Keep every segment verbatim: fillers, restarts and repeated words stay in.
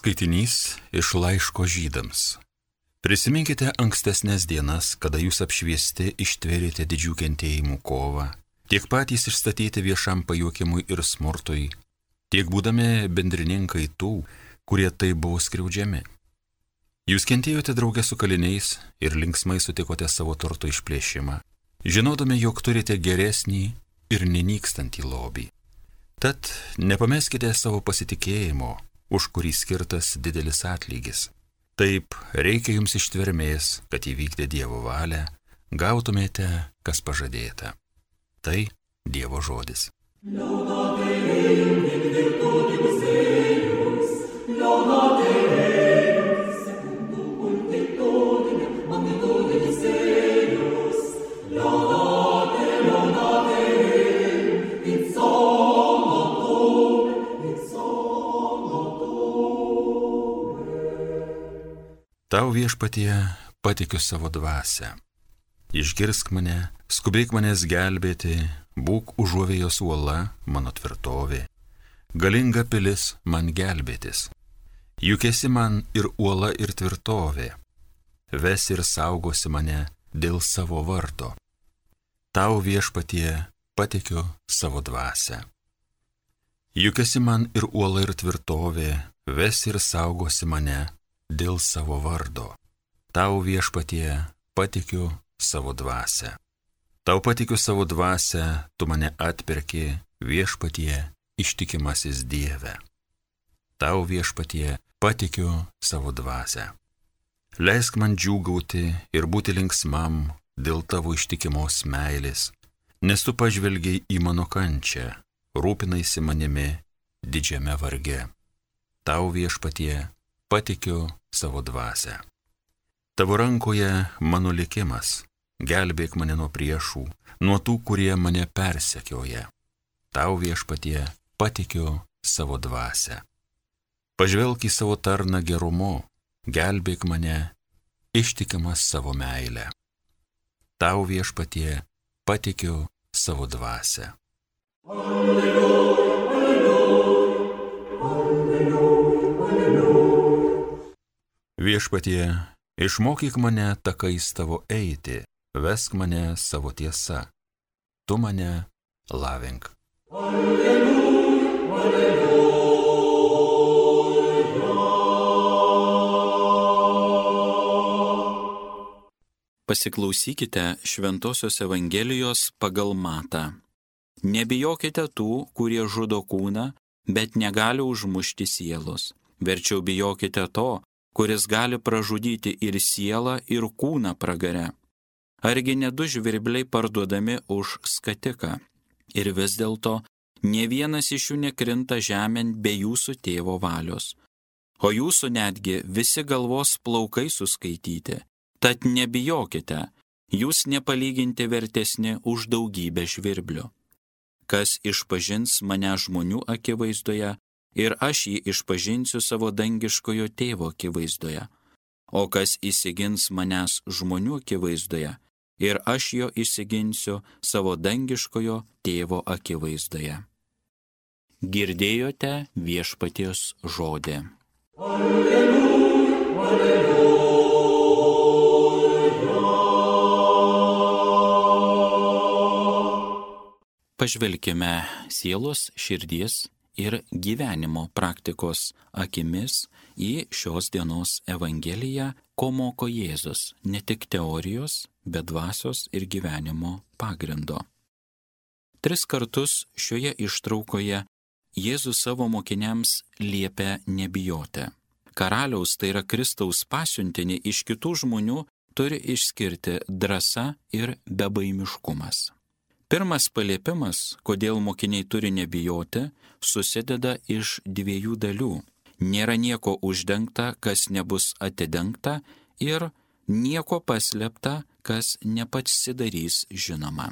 Skaitinys iš laiško Žydams. Prisiminkite ankstesnės dienas, kada jūs apšviesti ištvėrėte didžių kentėjimų kovą, tiek patys išstatyti viešam pajuokimui ir smurtui, tiek būdami bendrininkai tų, kurie taip buvo skriaudžiami. Jūs kentėjote draugę su kaliniais ir linksmai sutikote savo turto išplėšimą, žinodami, jog turite geresnį ir nenykstantį lobį. Tad nepameskite savo pasitikėjimo, už kurį skirtas didelis atlygis. Taip, reikia jums ištvermės, kad įvykdė Dievo valią, gautumėte, kas pažadėta. Tai Dievo žodis. Tau viešpatie patikiu savo dvasią. Išgirsk mane, skubėk manęs gelbėti, būk užuovėjos uola, mano tvirtovė. Galinga pilis man gelbėtis. Juk esi man ir uola ir tvirtovė. Vesi ir saugosi mane dėl savo vardo. Tau viešpatie patikiu savo dvasią. Juk esi man ir uola ir tvirtovė, vesi ir saugosi mane dėl savo vardo. Tau viešpatie patikiu savo dvasią. Tau patikiu savo dvasią, tu mane atperki, viešpatie ištikimasis Dieve. Tau viešpatie patikiu savo dvasią. Leisk man džiūgauti ir būti linksmam dėl tavo ištikimos meilės, nes tu pažvelgiai į mano kančią, rūpinaisi manimi didžiame varge. Tau viešpatie patikiu savo dvasią. Tavo rankoje mano likimas, gelbėk mane nuo priešų, nuo tų, kurie mane persekioja. Tau viešpatie patikiu savo dvasią. Pažvelk į savo tarną gerumu, gelbėk mane, ištikimas savo meilę. Tau viešpatie patikiu savo dvasią. Alleluja, alleluja, alleluja, alleluja. Viešpatie, išmokyk mane takais tavo eiti, vesk mane savo tiesa. Tu mane lavink. Alleluja, alleluja. Pasiklausykite Šventosios Evangelijos pagal Matą. Nebijokite tų, kurie žudo kūną, bet negali užmušti sielos. Verčiau bijokite to, kuris gali pražudyti ir sielą, ir kūną pragare. Argi ne du žvirbliai parduodami už skatiką? Ir vis dėlto nė vienas iš jų nekrinta žemėn be jūsų tėvo valios. O jūsų netgi visi galvos plaukai suskaityti. Tad nebijokite, jūs nepalyginti vertesni už daugybę žvirblių. Kas išpažins mane žmonių akivaizdoje, ir aš jį išpažinsiu savo dangiškojo tėvo akivaizdoje. O kas įsigins manęs žmonių akivaizdoje, ir aš jo įsiginsiu savo dangiškojo tėvo akivaizdoje. Girdėjote viešpaties žodį. Alleluja, alleluja. Pažvelkime sielos, širdies ir gyvenimo praktikos akimis į šios dienos Evangeliją, ko moko Jėzus, ne tik teorijos, bet dvasios ir gyvenimo pagrindo. Tris kartus šioje ištraukoje Jėzus savo mokiniams liepia nebijoti. Karaliaus, tai yra Kristaus pasiuntinį iš kitų žmonių, turi išskirti drąsa ir bebaimiškumas. Pirmas paliepimas, kodėl mokiniai turi nebijoti, susideda iš dviejų dalių. Nėra nieko uždengta, kas nebus atidengta, ir nieko paslėpta, kas nepasidarys žinoma.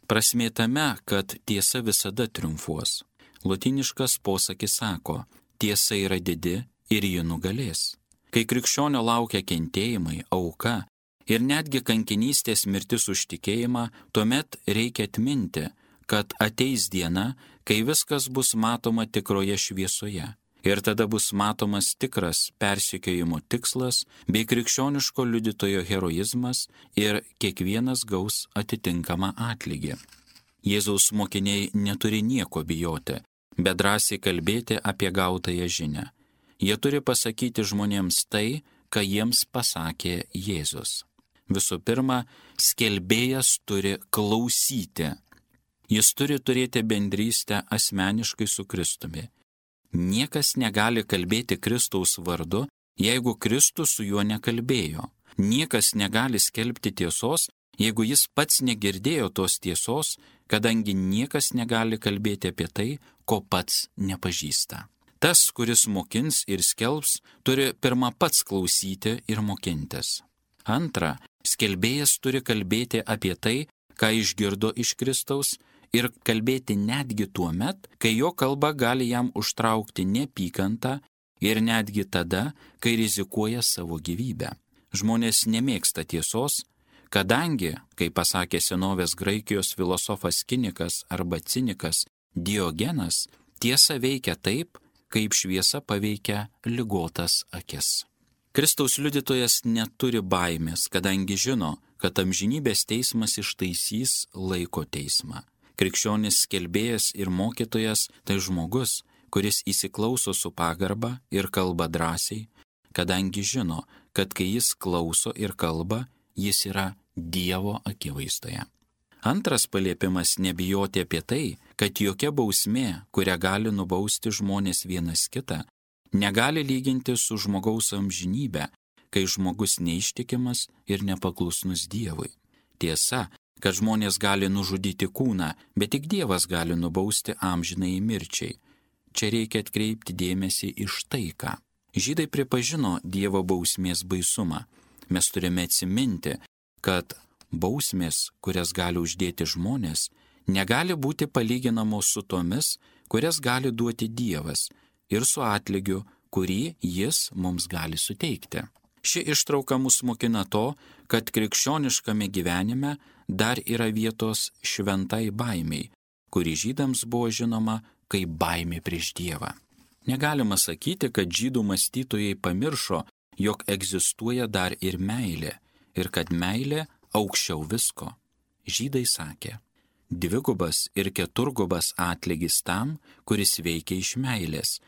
Prasmė tame, kad tiesa visada triumfuos. Lotyniškas posakis sako, tiesa yra didi ir ji nugalės. Kai krikščionio laukia kentėjimai, auka, ir netgi kankinystės mirtis už tikėjimą, tuomet reikia atminti, kad ateis diena, kai viskas bus matoma tikroje šviesoje. Ir tada bus matomas tikras persekiojimo tikslas bei krikščioniško liudytojo heroizmas ir kiekvienas gaus atitinkamą atlygį. Jėzaus mokiniai neturi nieko bijoti, bet drąsiai kalbėti apie gautąją žinią. Jie turi pasakyti žmonėms tai, ką jiems pasakė Jėzus. Visų pirma, skelbėjas turi klausyti. Jis turi turėti bendrystę asmeniškai su Kristumi. Niekas negali kalbėti Kristaus vardu, jeigu Kristus su juo nekalbėjo. Niekas negali skelbti tiesos, jeigu jis pats negirdėjo tos tiesos, kadangi niekas negali kalbėti apie tai, ko pats nepažįsta. Tas, kuris mokins ir skelbs, turi pirma pats klausyti ir mokintis. Antra, skelbėjas turi kalbėti apie tai, ką išgirdo iš Kristaus, ir kalbėti netgi tuo met, kai jo kalba gali jam užtraukti neapykantą ir netgi tada, kai rizikuoja savo gyvybę. Žmonės nemėgsta tiesos, kadangi, kaip pasakė senovės Graikijos filosofas Kinikas arba cinikas Diogenas, tiesa veikia taip, kaip šviesa paveikia ligotas akis. Kristaus liudytojas neturi baimės, kadangi žino, kad amžinybės teismas ištaisys laiko teismą. Krikščionis skelbėjas ir mokytojas tai žmogus, kuris įsiklauso su pagarba ir kalba drąsiai, kadangi žino, kad kai jis klauso ir kalba, jis yra Dievo akivaizdoje. Antras paliepimas nebijoti apie tai, kad jokia bausmė, kurią gali nubausti žmonės vienas kitą, negali lyginti su žmogaus amžinybė, kai žmogus neištikimas ir nepaklusnus Dievui. Tiesa, kad žmonės gali nužudyti kūną, bet tik Dievas gali nubausti amžinai mirčiai. Čia reikia atkreipti dėmesį iš tai, ką. Žydai pripažino Dievo bausmės baisumą. Mes turime atsiminti, kad bausmės, kurias gali uždėti žmonės, negali būti palyginamos su tomis, kurias gali duoti Dievas ir su atlygiu, kurį jis mums gali suteikti. Ši ištrauka mus mokina to, kad krikščioniškame gyvenime dar yra vietos šventai baimiai, kuri žydams buvo žinoma kaip baimė prieš Dievą. Negalima sakyti, kad žydų mąstytojai pamiršo, jog egzistuoja dar ir meilė ir kad meilė aukščiau visko. Žydai sakė, dvigubas ir keturgubas atlygis tam, kuris veikia iš meilės.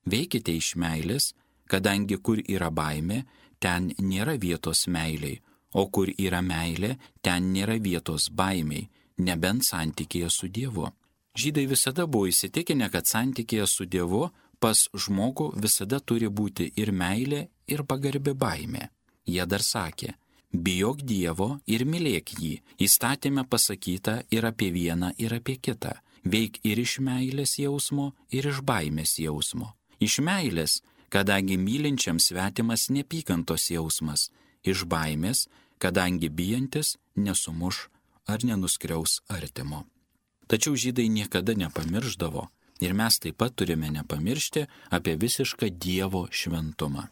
Veikite iš meilės, kadangi kur yra baimė, ten nėra vietos meiliai, o kur yra meilė, ten nėra vietos baimiai, nebent santykėje su Dievu. Žydai visada buvo įsitikinę, kad santykėje su Dievu pas žmogų visada turi būti ir meilė, ir pagarbi baimė. Jie dar sakė, bijok Dievo ir mylėk jį, įstatyme pasakyta ir apie vieną, ir apie kitą, veik ir iš meilės jausmo, ir iš baimės jausmo. Iš meilės, kadangi mylinčiam svetimas nepykantos jausmas, iš baimės, kadangi bijantis nesumuš ar nenuskriaus artimo. Tačiau žydai niekada nepamirždavo ir mes taip pat turime nepamiršti apie visišką Dievo šventumą.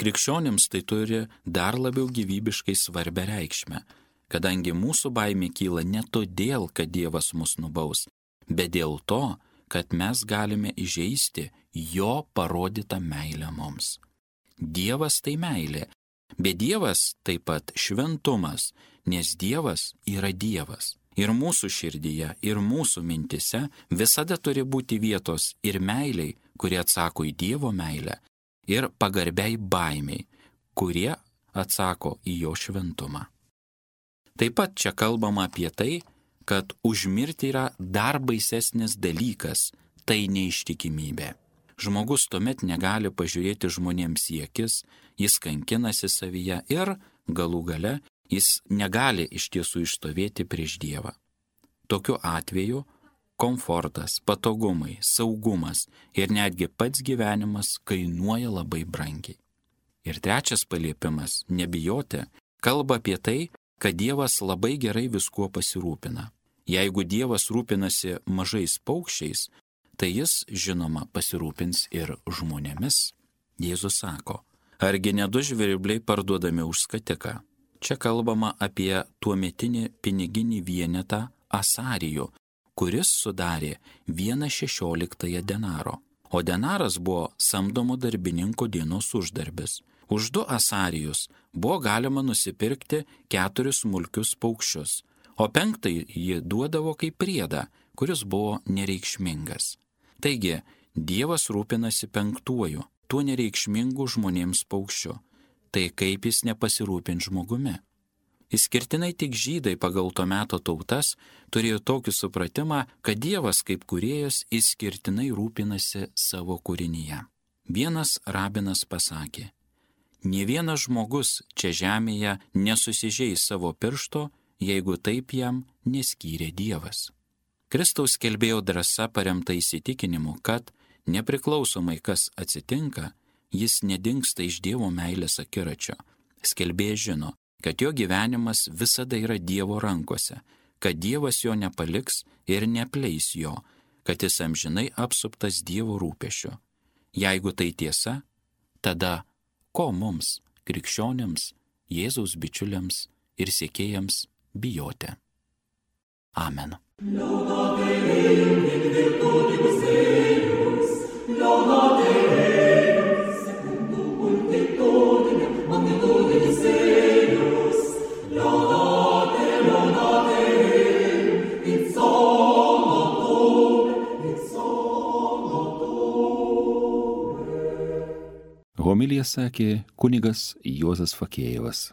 Krikščionims tai turi dar labiau gyvybiškai svarbę reikšmę, kadangi mūsų baimė kyla ne todėl, kad Dievas mus nubaus, bet dėl to, kad mes galime įžeisti jo parodytą meilę mums. Dievas tai meilė, bet Dievas taip pat šventumas, nes Dievas yra Dievas. Ir mūsų širdyje, ir mūsų mintise visada turi būti vietos ir meiliai, kurie atsako į Dievo meilę, ir pagarbiai baimiai, kurie atsako į jo šventumą. Taip pat čia kalbama apie tai, kad užmirti yra dar baisesnis dalykas, tai neištikimybė. Žmogus tuomet negali pažiūrėti žmonėms į akis, jis kankinasi savyje ir, galų gale, jis negali iš tiesų išstovėti prieš Dievą. Tokiu atveju komfortas, patogumai, saugumas ir netgi pats gyvenimas kainuoja labai brangiai. Ir trečias paliepimas, nebijoti, kalba apie tai, kad Dievas labai gerai viskuo pasirūpina. Jeigu Dievas rūpinasi mažais paukščiais, tai jis, žinoma, pasirūpins ir žmonėmis. Jėzus sako, argi ne du žvirbliai parduodami už skatiką? Čia kalbama apie tuometinį piniginį vienetą asarijų, kuris sudarė vieną šešioliktąją denaro, o denaras buvo samdomo darbininko dienos uždarbis. Už du asarijus buvo galima nusipirkti keturis smulkius paukščius, o penktąjį jį duodavo kaip priedą, kuris buvo nereikšmingas. Taigi, Dievas rūpinasi penktuoju, tuo nereikšmingu žmonėms paukščiu. Tai kaip jis nepasirūpins žmogumi? Išskirtinai tik žydai pagal to meto tautas turėjo tokį supratimą, kad Dievas kaip kūrėjas išskirtinai rūpinasi savo kūrinyje. Vienas rabinas pasakė, nė vienas žmogus čia žemėje nesusižeis savo piršto, jeigu taip jam neskyrė Dievas. Kristaus skelbėjo drąsa paremta įsitikinimu, kad nepriklausomai kas atsitinka, jis nedingsta iš Dievo meilės akiračio. Skelbėjas žino, kad jo gyvenimas visada yra Dievo rankose, kad Dievas jo nepaliks ir neapleis jo, kad jis amžinai apsuptas Dievo rūpesčio. Jeigu tai tiesa, tada ko mums, krikščionims, Jėzaus bičiuliams ir sekėjams bijoti? Amen. Laudate Deum in virtutibus eius, laudate Deum secundum multitudinem magnitudinis eius, laudate, laudate Deum in sonotube, in sonotube. Homiliją sakė kunigas Juozas Fakėjevas.